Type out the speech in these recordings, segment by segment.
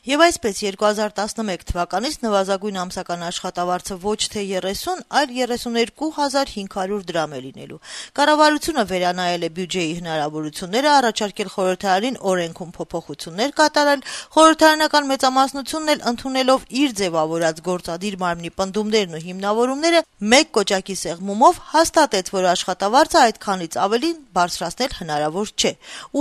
Եվ այսպես 2011 թվականից նվազագույն ամսական աշխատավարձը ոչ թե 30, այլ 32,500 դրամ է լինելու։ Կառավարությունը վերանայել է բյուջեի հնարավորությունները, առաջարկել խորհրդարանին օրենքում փոփոխություններ կատարել, խորհրդարանական մեծամասնությունն էլ ընդունելով իր ձևավորած գործադիր մարմնի պնդումներն ու հիմնավորումները մեկ կոճակի սեղմումով հաստատեց, որ աշխատավարձը այդքանից ավելին բարձրացնել հնարավոր չէ։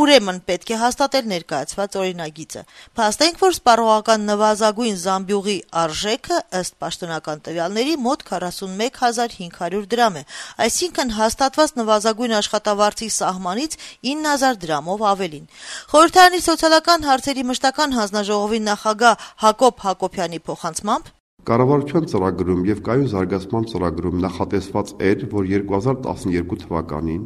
Ուրեմն պետք է հաստատել ներկայացված օրինագիծը։ Փաստենք, որ սպառողական նվազագույն զամբյուղի արժեքը ըստ պաշտոնական տվյալների մոտ 41,500 դրամ է, այսինքն հաստատված նվազագույն աշխատավարձի սահմանից 9,000 դրամով ավելին։ Խորհրդարանի սոցիալական հարցերի մշտական հանձնաժողովի նախագահ Հակոբ Հակոբյանի փոխանցմամբ Կառավարության ծրագրում եւ կայուն զարգացման ծրագրում նախատեսված էր, որ 2012 թվականին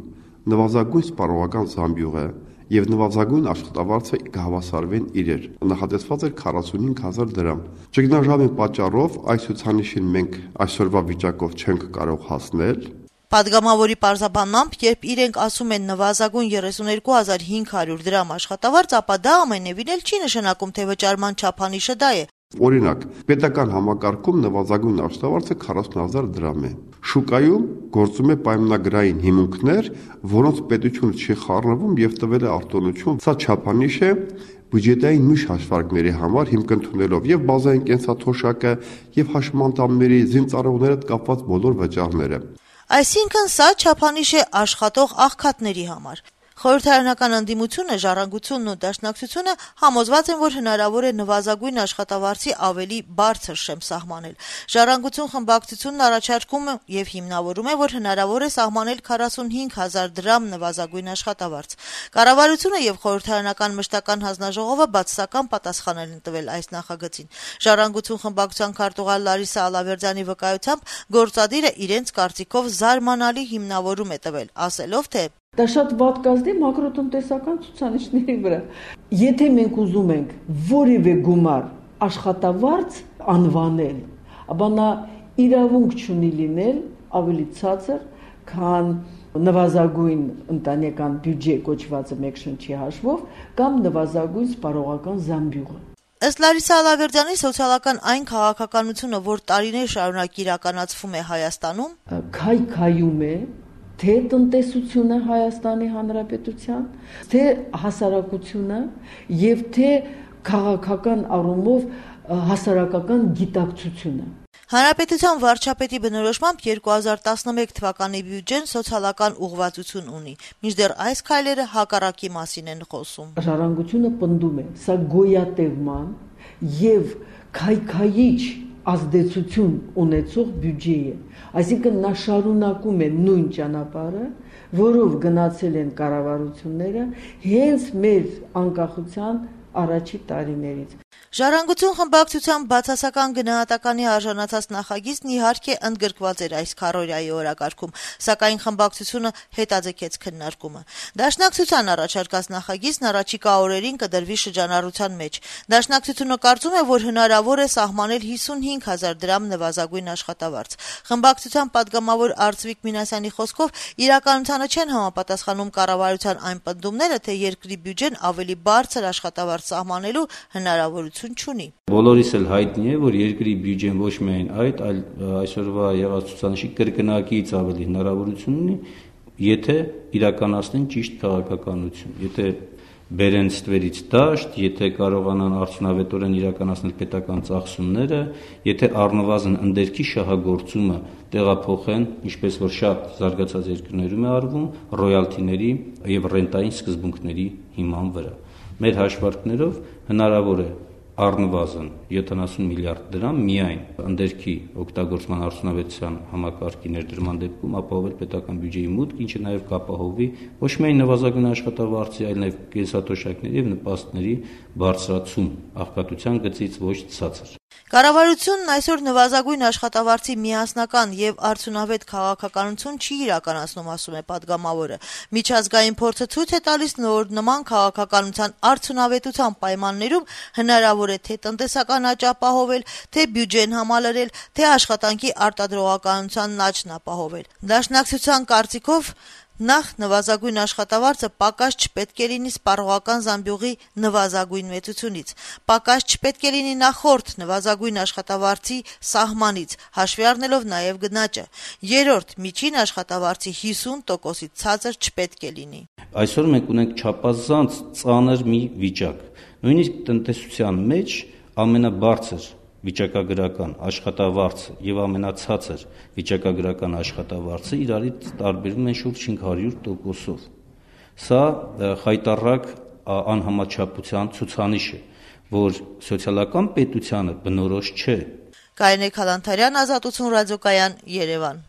նվազագույն սպառողական զամբյուղը եւ նվազագույն աշխատավարձը կհավասարվեն իրար։ Նախատեսված էր 45,000 դրամ։ Ճգնաժամի պատճառով այս ցուցանիշին մենք այսօրվա վիճակով չենք կարող հասնել։ Պատգամավորի պարզաբանմամբ, երբ իրենք ասում են նվազագույն 32,500 դրամ աշխատավարձ, ապա դա ամենևին էլ չի նշանակում, թե վճարման չափանիշը դա է։ Օրինակ, պետական համակարգում նվազագույն աշխատավարձը 40,000 դրամ է։ Շուկայում գործում է պայմանագրային հիմունքներ, որոնց պետությունը չի խառնվում եւ տվել է արտոնություն։ Սա չափանիշ է բյուջետային միշտ հաշվարկների համար հիմք ընդունելով եւ բազային կենսաթոշակը եւ հաշմանդամների զինծառայողների հետ կապված բոլոր վճարները։ Այսինքն սա չափանիշ է աշխատող աղքատների համար։ Խորհրդարանական ընդդիմությունը, Ժառանգությունն ու Դաշնակցությունը համոզված են, որ հնարավոր է նվազագույն աշխատավարձի ավելի բարձր շեմ սահմանել։ Ժառանգություն խմբակցությունն առաջարկում եւ հիմնավորում է, որ հնարավոր է սահմանել 45,000 դրամ նվազագույն աշխատավարձ։ Կառավարությունը եւ խորհրդարանական մշտական հանձնաժողովը բացասական պատասխաններ են տվել այս նախագծին։ Ժառանգություն խմբակցության քարտուղար Լարիսա Ալավերդյանի վկայությամբ գործադիրը իրենց կարծիքով զարմանալի հիմնավորում է տվել, ասելով, թե Դա շատ վատ կազդի մակրոտնտեսական ցուցանիշների վրա։ Եթե մենք ուզում ենք որևէ գումար աշխատավարձ անվանել, ապա նա իրավունք չունի լինել ավելի ցածր, քան նվազագույն ընտանեկան բյուջե կոչվածը մեկ շնչի հաշվով կամ նվազագույն սպառողական զամբյուղը։ Ըստ Լարիսա Ալավերդյանի սոցիալական այն քաղաքականությունը, որ տարիներ շարունակ իրականացվում է Հայաստանում, քայքայում է թե տնտեսությունը Հայաստանի Հանրապետության, թե հասարակությունը եւ թե քաղաքական առումով հասարակական գիտակցությունը։ Հանրապետության վարչապետի բնորոշմամբ 2011 թվականի բյուջեն սոցիալական ուղղվածություն ունի, մինչդեռ այս քայլերը հակառակի մասին են խոսում։ Ժառանգությունը պնդում է, սա գոյատևման եւ քայքայիչ ազդեցություն ունեցող բյուջե է։ Այսինքն նա շարունակում է նույն ճանապարհը, որով գնացել են կառավարությունները հենց մեր անկախության առաջի տարիներից։ Ժառանգություն խմբակցության բացասական գնահատականի արժանացած նախագիծն իհարկե ընդգրկված էր այս քառօրյայի օրակարգում, սակայն խմբակցությունը հետաձգեց քննարկումը։ Դաշնակցության առաջարկած նախագիծն առաջիկա օրերին կդրվի շրջանառության մեջ։ Դաշնակցությունը կարծում է, որ հնարավոր է սահմանել 55,000 դրամ նվազագույն աշխատավարձ։ Խմբակցության պատգամավոր Արծվիկ Մինասյանի խոսքով իրականությանը չեն համապատասխանում կառավարության այն պնդումները, թե երկրի բյուջեն ավելի բարձր աշխատավարձ սահմանելու հնարավորություն չունի։ Բոլորիս էլ հայտնի է, որ երկրի բյուջեն ոչ միայն այդ, այլ այսօրվա եղած ցուցանիշի կրկնակից ավելի հնարավորություն ունի, եթե իրականացնեն ճիշտ քաղաքականություն, եթե բերեն ստվերից դաշտ, եթե կարողանան արդյունավետորեն իրականացնել պետական ծախսումները, եթե առնվազն ընդերքի շահագործումը տեղափոխեն, ինչպես որ շատ զարգացած երկրներում է արվում, ռոյալթիների եւ ռենտային սկզբունքների հիման վրա։ Մեր հաշվարկներով հնարավոր է առնվազն 70 միլիարդ դրամ միայն ընդերքի օգտագործման արդյունավետության համակարգի ներդրման դեպքում ապահովել պետական բյուջեի մուտք, ինչը նաև կապահովի ոչ միայն նվազագույն աշխատավարձի, այլ նաև կենսաթոշակների եւ նպաստների բարձրացում աղքատության գծից ոչ ցածր։ Կառավարությունն այսօր նվազագույն աշխատավարձի միասնական եւ արդյունավետ քաղաքականություն չի իրականացնում, ասում է պատգամավորը։ Միջազգային փորձը ցույց է տալիս, որ նման քաղաքականության արդյունավետության պայմաններում հնարավոր է թե տնտեսական աճ ապահովել, թե բյուջեն համալրել, թե աշխատանքի արտադրողականության աճն ապահովել։ Դաշնակցության կարծիքով Նախ նվազագույն աշխատավարձը պակաս չպետք է լինի սպառողական զամբյուղի նվազագույն մեծությունից, պակաս չպետք է լինի նախորդ նվազագույն աշխատավարձի սահմանից, հաշվի առնելով նաև գնաճը, երրորդ միջին աշխատավարձի 50%-ից ցածր չպետք է լինի։ Այսօր մենք ունենք չափազանց ծանր մի վիճակ, նույնիսկ տնտեսության մեջ ամենաբարձր վիճակագրական աշխատավարձը եւ ամենացածր վիճակագրական աշխատավարձը իրարից տարբերվում են շուրջ 500%-ով։ Սա խայտառակ անհամաչափության ցուցանիշ է, որ սոցիալական պետությանը բնորոշ չէ։ Կարինե Քալանթարյան, Ազատություն ռադիոկայան, Երևան։